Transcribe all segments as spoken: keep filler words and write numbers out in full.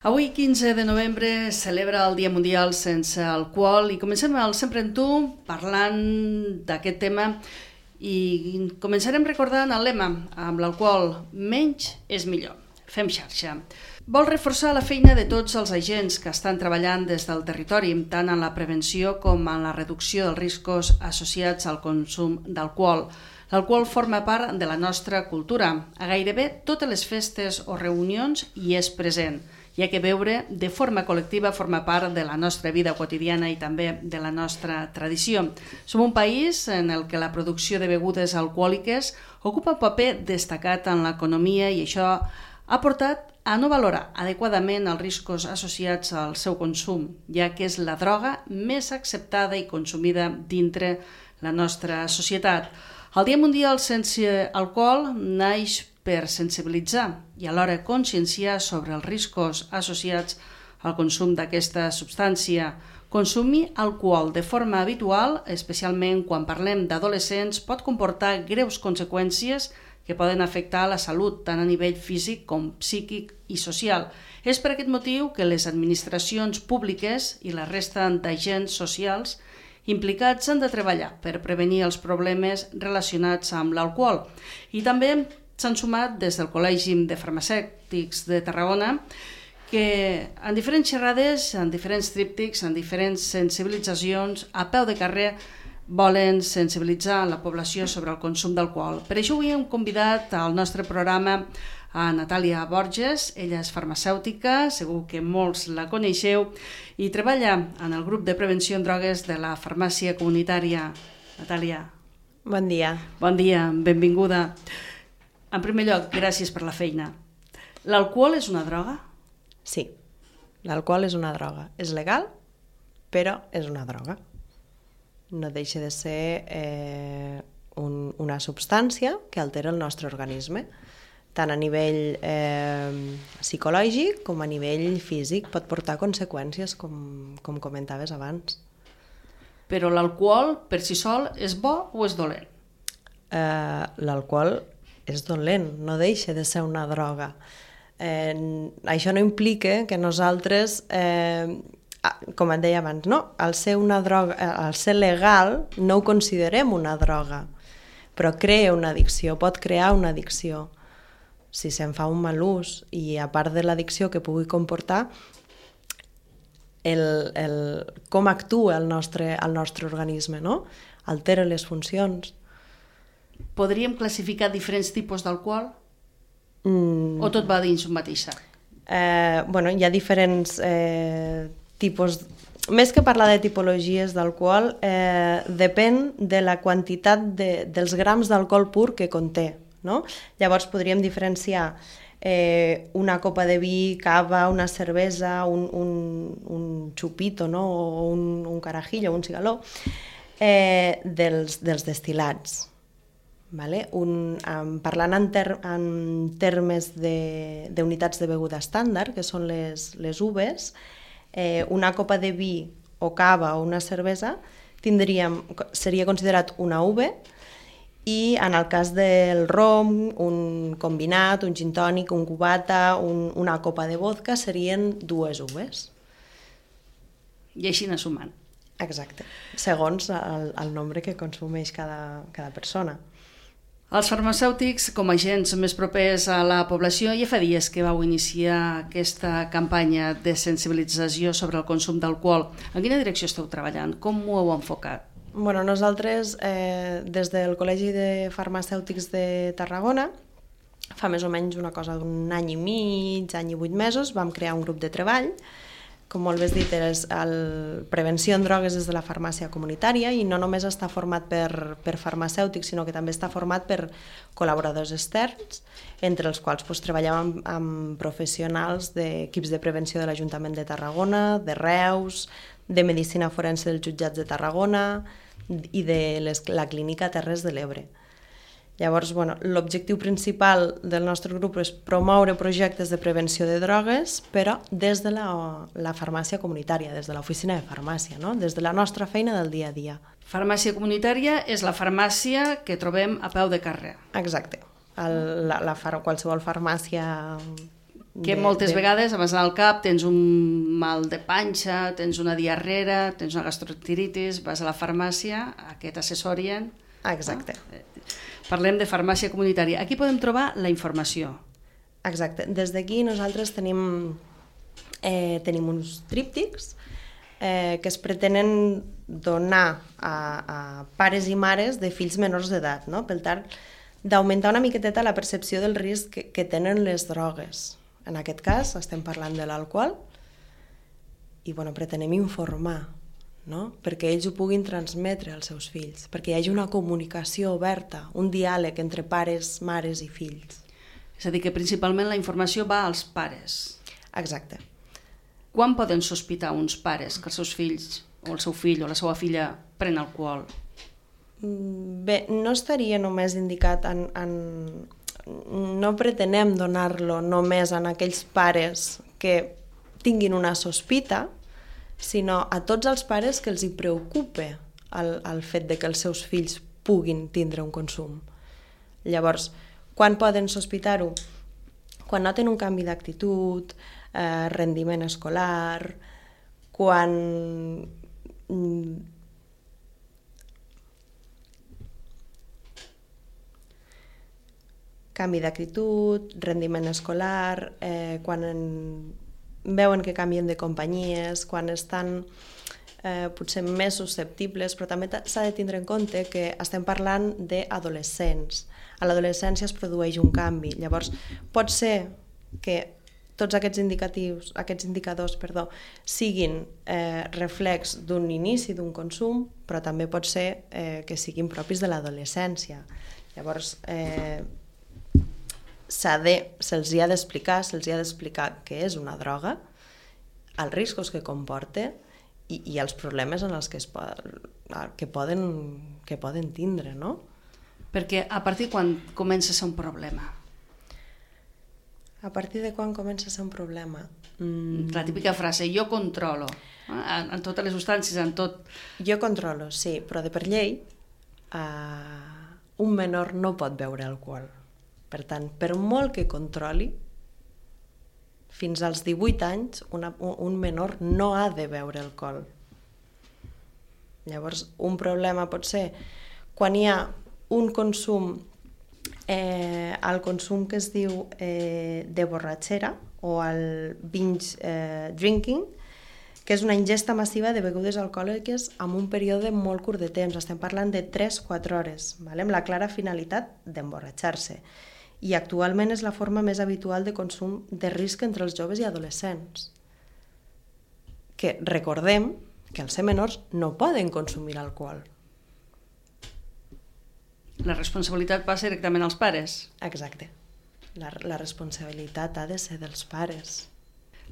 Avui, quinze de novembre, celebra el Dia Mundial sense alcohol i comencem el Sempre en Tu parlant d'aquest tema i començarem recordant el lema amb l'alcohol menys és millor. Fem xarxa. Vol reforçar la feina de tots els agents que estan treballant des del territori, tant en la prevenció com en la reducció dels riscos associats al consum d'alcohol. L'alcohol forma part de la nostra cultura. A gairebé totes les festes o reunions hi és present, ja que beure de forma col·lectiva forma part de la nostra vida quotidiana i també de la nostra tradició. Som un país en el que la producció de begudes alcohòliques ocupa un paper destacat en l'economia i això ha portat a no valorar adequadament els riscos associats al seu consum, ja que és la droga més acceptada i consumida dintre la nostra societat. El Dia Mundial sense alcohol naix per sensibilitzar i alhora conscienciar sobre els riscos associats al consum d'aquesta substància. Consumir alcohol de forma habitual, especialment quan parlem d'adolescents, pot comportar greus conseqüències que poden afectar la salut tant a nivell físic com psíquic i social. És per aquest motiu que les administracions públiques i la resta d'agents socials implicats han de treballar per prevenir els problemes relacionats amb l'alcohol. I també s'han sumat des del Col·legi de Farmacèutics de Tarragona que en diferents xerrades, en diferents tríptics, en diferents sensibilitzacions, a peu de carrer, volen sensibilitzar la població sobre el consum d'alcohol. Per això avui hem convidat al nostre programa a Natàlia Borges. Ella és farmacèutica, segur que molts la coneixeu, i treballa en el grup de prevenció en drogues de la farmàcia comunitària. Natàlia. Bon dia. Bon dia, benvinguda. En primer lloc, gràcies per la feina. L'alcohol és una droga? Sí, l'alcohol és una droga. És legal, però és una droga. No deixa de ser eh, un, una substància que altera el nostre organisme, tant a nivell eh, psicològic com a nivell físic. Pot portar conseqüències, com, com comentaves abans. Però l'alcohol per si sol és bo o és dolent? Eh, l'alcohol és dolent, no deixa de ser una droga. Eh, això no implica que nosaltres, eh, com et deia abans, no? al, ser una droga, al ser legal no ho considerem una droga, però crea una addicció, pot crear una addicció. Si se'n fa un mal ús i a part de l'addicció que pugui comportar, el, el, com actua el nostre, el nostre organisme, no? Altera les funcions. Podríem classificar diferents tipus d'alcohol? Mm. O tot va dins un mateix sac? Eh, bueno, hi ha diferents eh, tipus. Més que parlar de tipologies d'alcohol, eh, depèn de la quantitat de, dels grams d'alcohol pur que conté. No? Llavors podríem diferenciar eh, una copa de vi, cava, una cervesa, un, un, un xupito, no? O un, un carajillo, un cigaló, eh, dels, dels destil·lats. Vale? Un, um, parlant en, ter, en termes d'unitats de, de beguda estàndard, que són les, les uves, eh, una copa de vi o cava o una cervesa tindríem, seria considerat una uve, i en el cas del rom, un combinat, un gin tònic, un cubata, un, una copa de vodka serien dues uves. I així anar sumant. Exacte, segons el, el nombre que consumeix cada, cada persona. Els farmacèutics, com a agents més propers a la població, ja fa dies que vau iniciar aquesta campanya de sensibilització sobre el consum d'alcohol. En quina direcció esteu treballant? Com ho heu enfocat? Bueno, nosaltres, eh, des del Col·legi de Farmacèutics de Tarragona, fa més o menys una cosa d'un any i mig, any i vuit mesos, vam crear un grup de treball. Com molt bé has dit, és el prevenció en drogues des de la farmàcia comunitària i no només està format per, per farmacèutics, sinó que també està format per col·laboradors externs, entre els quals doncs, treballem amb, amb professionals d'equips de prevenció de l'Ajuntament de Tarragona, de Reus, de Medicina Forense dels Jutjats de Tarragona i de les, la Clínica Terres de l'Ebre. Llavors, bueno, l'objectiu principal del nostre grup és promoure projectes de prevenció de drogues, però des de la, la farmàcia comunitària, des de l'oficina de farmàcia, no? Des de la nostra feina del dia a dia. Farmàcia comunitària és la farmàcia que trobem a peu de carrer. Exacte. El, la, la far, qualsevol farmàcia Que moltes de... vegades, abans d'anar al cap, tens un mal de panxa, tens una diarrera, tens una gastroenteritis, vas a la farmàcia, que t'assessorien. Exacte. No? Parlem de farmàcia comunitària. Aquí podem trobar la informació. Exacte. Des d'aquí nosaltres tenim, eh, tenim uns tríptics eh, que es pretenen donar a, a pares i mares de fills menors d'edat, no? Per tant, d'augmentar una miqueteta la percepció del risc que, que tenen les drogues. En aquest cas estem parlant de l'alcohol i bueno, pretenem informar, no? Perquè ells ho puguin transmetre als seus fills, perquè hi hagi una comunicació oberta, un diàleg entre pares, mares i fills. És a dir, que principalment la informació va als pares. Exacte. Quan poden sospitar uns pares que els seus fills o el seu fill o la seva filla pren alcohol? Bé, no estaria només indicat en... en... no pretenem donar-lo només a aquells pares que tinguin una sospita, sinó a tots els pares que els hi preocupa el, el fet de que els seus fills puguin tindre un consum. Llavors, quan poden sospitar-ho? Quan noten un canvi d'actitud, eh, rendiment escolar, quan... canvi d'actitud, rendiment escolar, eh, quan en... veuen que canvien de companyies, quan estan eh, potser més susceptibles, però també s'ha de tindre en compte que estem parlant d'adolescents. A l'adolescència es produeix un canvi. Llavors, pot ser que tots aquests indicatius, aquests indicadors, perdó, siguin eh, reflex d'un inici d'un consum, però també pot ser eh, que siguin propis de l'adolescència. Llavors, eh, de, se'ls hi ha d'explicar, se'ls hi ha d'explicar què és una droga, els riscos que comporta i, i els problemes en els que, es pot, que, poden, que poden tindre, no? Perquè a partir quan comença a ser un problema? A partir de quan comença a ser un problema? Mm. La típica frase, jo controlo, eh? en, en totes les substàncies, en tot... Jo controlo, sí, però de per llei uh, un menor no pot beure alcohol. Per tant, per molt que controli, fins als divuit anys una, un menor no ha de beure alcohol. Llavors, un problema pot ser quan hi ha un consum, eh, el consum que es diu eh, de borratxera o el binge eh, drinking, que és una ingesta massiva de begudes alcohòliques en un període molt curt de temps. Estem parlant de tres a quatre hores, vale? Amb la clara finalitat d'emborratxar-se. I actualment és la forma més habitual de consum de risc entre els joves i adolescents. Que recordem que els ser menors no poden consumir alcohol. La responsabilitat passa directament als pares. Exacte. La, la responsabilitat ha de ser dels pares.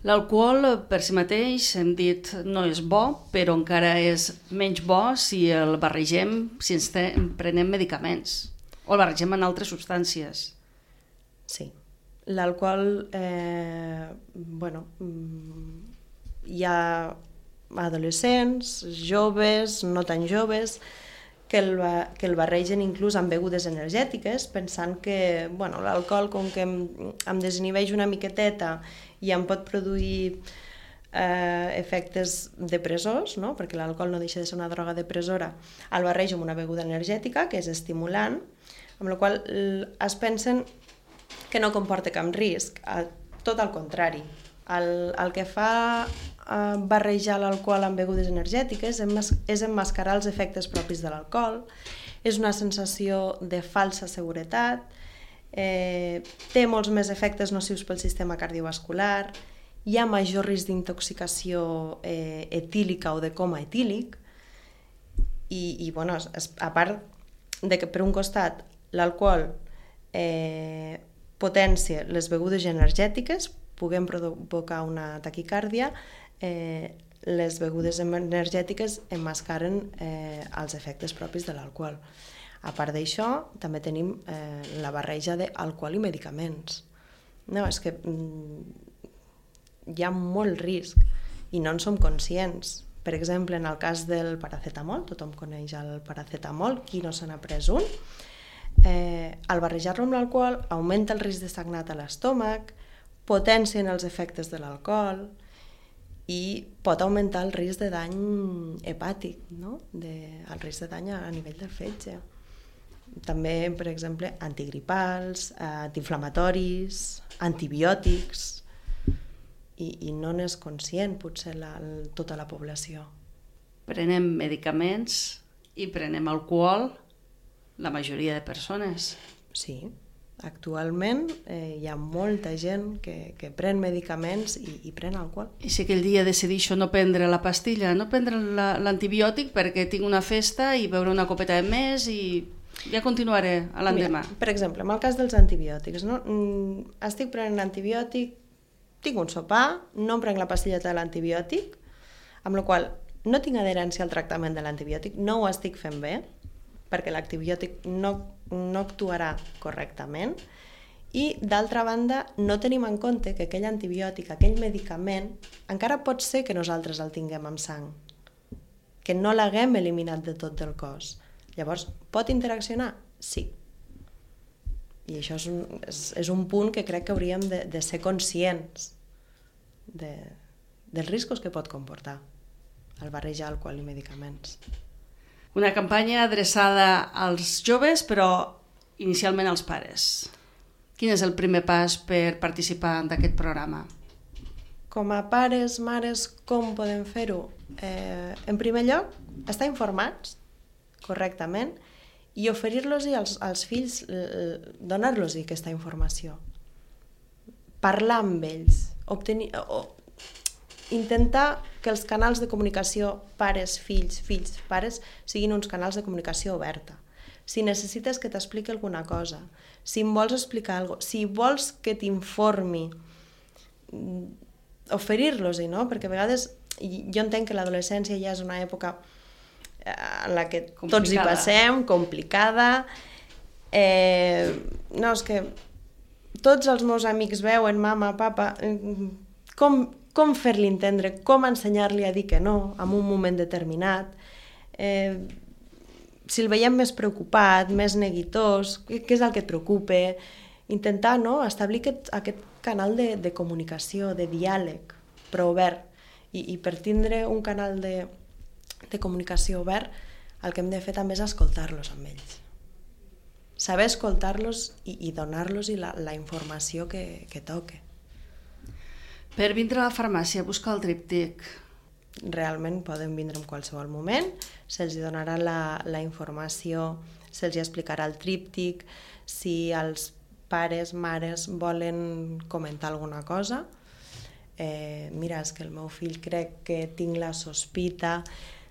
L'alcohol per si mateix, hem dit, no és bo, però encara és menys bo si el barregem, si ens prenem medicaments o el barregem en altres substàncies. Sí. L'alcohol, eh, bueno, hi ha adolescents, joves, no tan joves, que el, que el barregen inclús amb begudes energètiques, pensant que bueno, l'alcohol, com que em, em desinhibeix una miqueteta i em pot produir eh, efectes depressors, no? Perquè l'alcohol no deixa de ser una droga depressora, el barrejo amb una beguda energètica, que és estimulant, amb la qual es pensen que no comporta cap risc, tot al contrari. El, el que fa eh, barrejar l'alcohol amb begudes energètiques és emmascarar els efectes propis de l'alcohol, és una sensació de falsa seguretat, eh, té molts més efectes nocius pel sistema cardiovascular, hi ha major risc d'intoxicació eh, etílica o de coma etílic, i, i bueno, a part de que per un costat l'alcohol eh, potència les begudes energètiques, puguem provocar una taquicàrdia, eh, les begudes energètiques emmascaren eh, els efectes propis de l'alcohol. A part d'això, també tenim eh, la barreja d'alcohol i medicaments. No, és que mm, hi ha molt risc i no en som conscients. Per exemple, en el cas del paracetamol, tothom coneix el paracetamol, qui no se n'ha pres un, Eh, al barrejar-lo amb l'alcohol augmenta el risc de sagnat a l'estómac, potencien els efectes de l'alcohol i pot augmentar el risc de dany hepàtic, no? de, el risc de dany a, a nivell del fetge. També, per exemple, antigripals, antiinflamatoris, antibiòtics, i, i no n'és conscient potser la, tota la població. Prenem medicaments i prenem alcohol la majoria de persones. Sí, actualment eh, hi ha molta gent que, que pren medicaments i, i pren alcohol. I si aquell dia decideixo no prendre la pastilla, no prendre la, l'antibiòtic perquè tinc una festa i beure una copeta de més i ja continuaré a l'endemà. Mira, per exemple, en el cas dels antibiòtics, no? Estic prenent antibiòtic, tinc un sopar, no em prenc la pastilleta de l'antibiòtic, amb la qual no tinc adherència al tractament de l'antibiòtic, no ho estic fent bé, perquè l'antibiòtic no, no actuarà correctament, i d'altra banda no tenim en compte que aquell antibiòtic, aquell medicament, encara pot ser que nosaltres el tinguem en sang, que no l'haguem eliminat de tot del cos. Llavors, pot interaccionar? Sí. I això és un, és, és un punt que crec que hauríem de, de ser conscients de, dels riscos que pot comportar el barrejar alcohol i medicaments. Una campanya adreçada als joves, però inicialment als pares. Quin és el primer pas per participar d'aquest programa? Com a pares, mares, com podem fer-ho? Eh, en primer lloc, estar informats correctament i oferir-los als, als fills, donar-los aquesta informació. Parlar amb ells, obtenir, o, intentar que els canals de comunicació pares, fills, fills, pares, siguin uns canals de comunicació oberta. Si necessites que t'expliqui alguna cosa, si em vols explicar alguna cosa, si vols que t'informi, oferir-los-hi, no? Perquè a vegades jo entenc que l'adolescència ja és una època en la que complicada. Tots hi passem, complicada. Eh, no, és que tots els meus amics veuen mama, papa, com, com fer-li entendre, com ensenyar-li a dir que no en un moment determinat. Eh, si el veiem més preocupat, més neguitós, què, què és el que et preocupa? Intentar, no?, establir aquest, aquest canal de, de comunicació, de diàleg, però obert. I, i per tindre un canal de, de comunicació obert, el que hem de fer també és escoltar-los amb ells. Saber escoltar-los i, i donar-los la, la informació que, que toque. Per vindre a la farmàcia a buscar el tríptic. Realment poden vindre en qualsevol moment, se'ls donarà la, la informació, se'ls explicarà el tríptic, si els pares, mares volen comentar alguna cosa, eh, mira, és que el meu fill crec que tinc la sospita.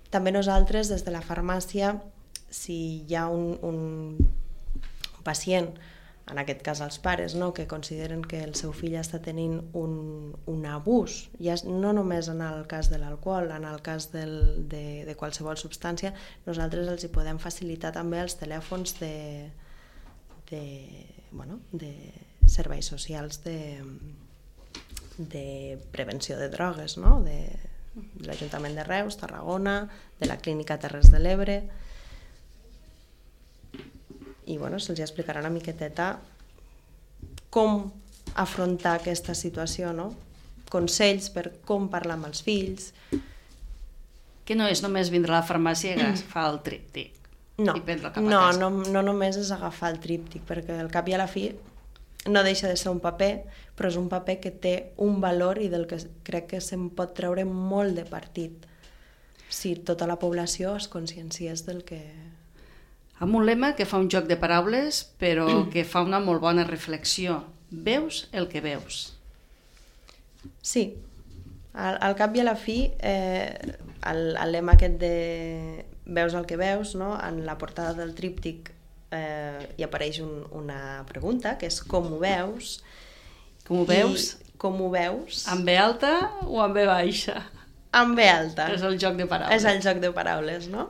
També nosaltres, des de la farmàcia, si hi ha un, un pacient, en aquest cas els pares, no?, que consideren que el seu fill està tenint un, un abús, ja no només en el cas de l'alcohol, en el cas del, de, de qualsevol substància, nosaltres els hi podem facilitar també els telèfons de, de, bueno, de serveis socials de, de prevenció de drogues, no?, de, de l'Ajuntament de Reus, Tarragona, de la Clínica Terres de l'Ebre. I bueno, se'ls explicarà una miqueteta com afrontar aquesta situació, no? Consells per com parlar amb els fills. Que no és només vindre a la farmàcia i agafar el tríptic no, i prendre-el cap a no, casa. No, no només és agafar el tríptic, perquè al cap i a la fi no deixa de ser un paper, però és un paper que té un valor i del que crec que se'n pot treure molt de partit si tota la població es conscienciés del que... Amb un lema que fa un joc de paraules, però que fa una molt bona reflexió. Veus el que veus. Sí. Al, al cap i a la fi, eh, el, el lema aquest de veus el que veus, no?, en la portada del tríptic eh, hi apareix un, una pregunta, que és com ho veus? Com ho veus? Com ho veus? Amb B alta o amb B baixa? Amb B alta. És el joc de paraules. És el joc de paraules, no?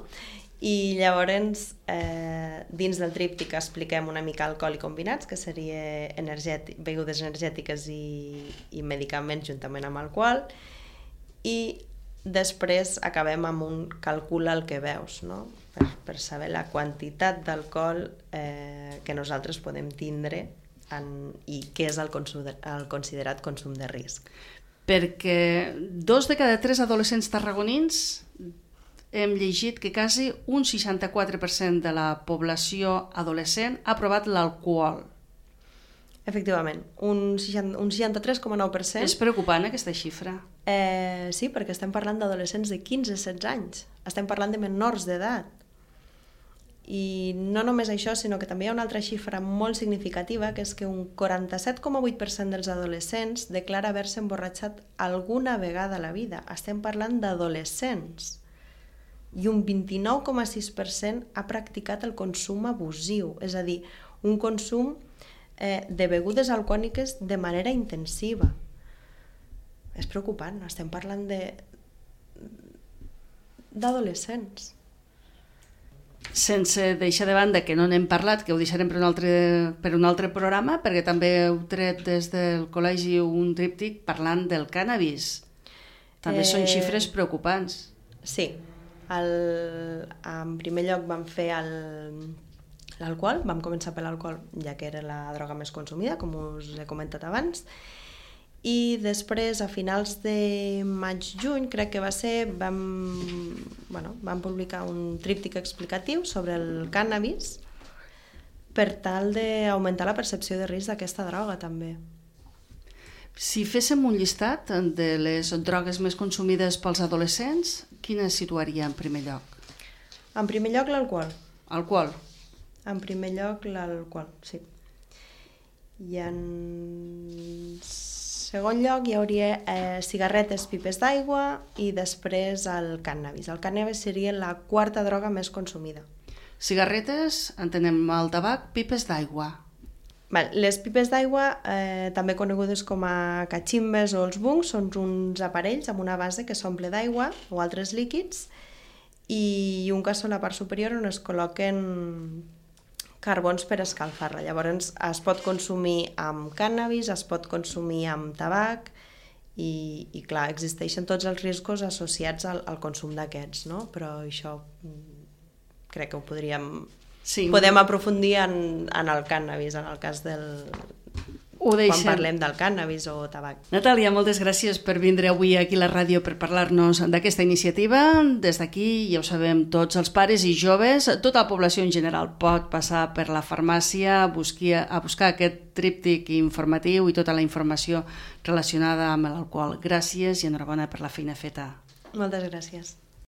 I llavors, eh, dins del tríptic expliquem una mica alcohol i combinats, que seria energètic, begudes energètiques i, i medicaments juntament amb alcohol, i després acabem amb un calcula el que veus, no?, per, per saber la quantitat d'alcohol eh, que nosaltres podem tindre en, i què és el, consum de, el considerat consum de risc. Perquè dos de cada tres adolescents tarragonins hem llegit que quasi un seixanta-quatre per cent de la població adolescent ha provat l'alcohol. Efectivament, un, seixanta, un seixanta-tres coma nou per cent. És preocupant aquesta xifra. Eh, sí, perquè estem parlant d'adolescents de quinze a setze anys. Estem parlant de menors d'edat. I no només això, sinó que també hi ha una altra xifra molt significativa, que és que un quaranta-set coma vuit per cent dels adolescents declara haver-se emborratxat alguna vegada a la vida. Estem parlant d'adolescents. I un vint-i-nou coma sis per cent ha practicat el consum abusiu, és a dir, un consum eh, de begudes alcohòliques de manera intensiva. És preocupant, estem parlant de d'adolescents. Sense deixar de banda que no n'hem parlat, que ho deixarem per un altre, per un altre programa, perquè també heu tret des del col·legi un tríptic parlant del cànnabis. També eh... són xifres preocupants. Sí. El, en primer lloc vam fer el, l'alcohol, vam començar per l'alcohol, ja que era la droga més consumida, com us he comentat abans, i després, a finals de maig-juny, crec que va ser, vam, bueno, vam publicar un tríptic explicatiu sobre el cànnabis per tal d'augmentar la percepció de risc d'aquesta droga, també. Si féssim un llistat de les drogues més consumides pels adolescents, quines situaria en primer lloc? En primer lloc, l'alcohol. Alcohol? En primer lloc, l'alcohol, sí. I en segon lloc hi hauria eh, cigarretes, pipes d'aigua i després el cànnabis. El cànnabis seria la quarta droga més consumida. Cigarretes, entenem el tabac, pipes d'aigua. Les pipes d'aigua, eh, també conegudes com a cachimbes o els bungs, són uns aparells amb una base que s'omple d'aigua o altres líquids i un cassó a la part superior on es col·loquen carbons per escalfar-la. Llavors es pot consumir amb cànnabis, es pot consumir amb tabac i, i clar, existeixen tots els riscos associats al, al consum d'aquests, no? Però això crec que ho podríem... Sí. Podem aprofundir en, en el cànnabis, en el cas del... Ho deixem. Quan parlem del cànnabis o tabac. Natàlia, moltes gràcies per vindre avui aquí a la ràdio per parlar-nos d'aquesta iniciativa. Des d'aquí, ja ho sabem, tots els pares i joves, tota la població en general pot passar per la farmàcia a buscar, a buscar aquest tríptic informatiu i tota la informació relacionada amb l'alcohol. Gràcies i enhorabona per la feina feta. Moltes gràcies.